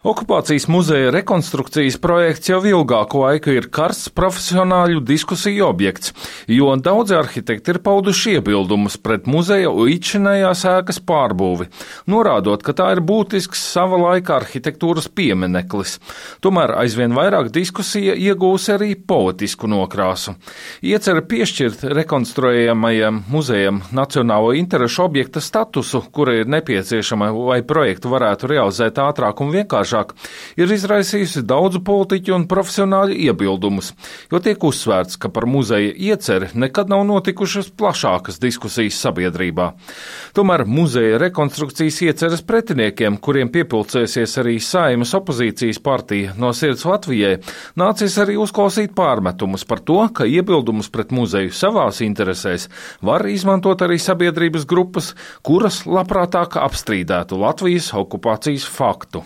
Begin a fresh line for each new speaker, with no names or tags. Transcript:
Okupācijas muzeja rekonstrukcijas projekts jau ilgāku laiku ir karsts profesionāļu diskusiju objekts, jo daudzi arhitekti ir pauduši iebildumus pret muzeja līdzinējās ēkas pārbūvi, norādot, ka tā ir būtisks sava laika arhitektūras piemineklis. Tomēr aizvien vairāk diskusija iegūs arī politisku nokrāsu. Iecer piešķirt rekonstruējamajam muzejam nacionālo interešu objekta statusu, kura ir nepieciešama, lai projektu varētu realizēt ātrāk un vienkāršāk, ir izraisījusi daudzu politiķu un profesionāļu iebildumus, jo tiek uzsvērts, ka par muzeja ieceri nekad nav notikušas plašākas diskusijas sabiedrībā. Tomēr muzeja rekonstrukcijas ieceres pretiniekiem, kuriem piepulcēsies arī Saeimas opozīcijas partija No sirds Latvijai, nācies arī uzklausīt pārmetumus par to, ka iebildumus pret muzeju savās interesēs var izmantot arī sabiedrības grupas, kuras labprātāk apstrīdētu Latvijas okupācijas faktu.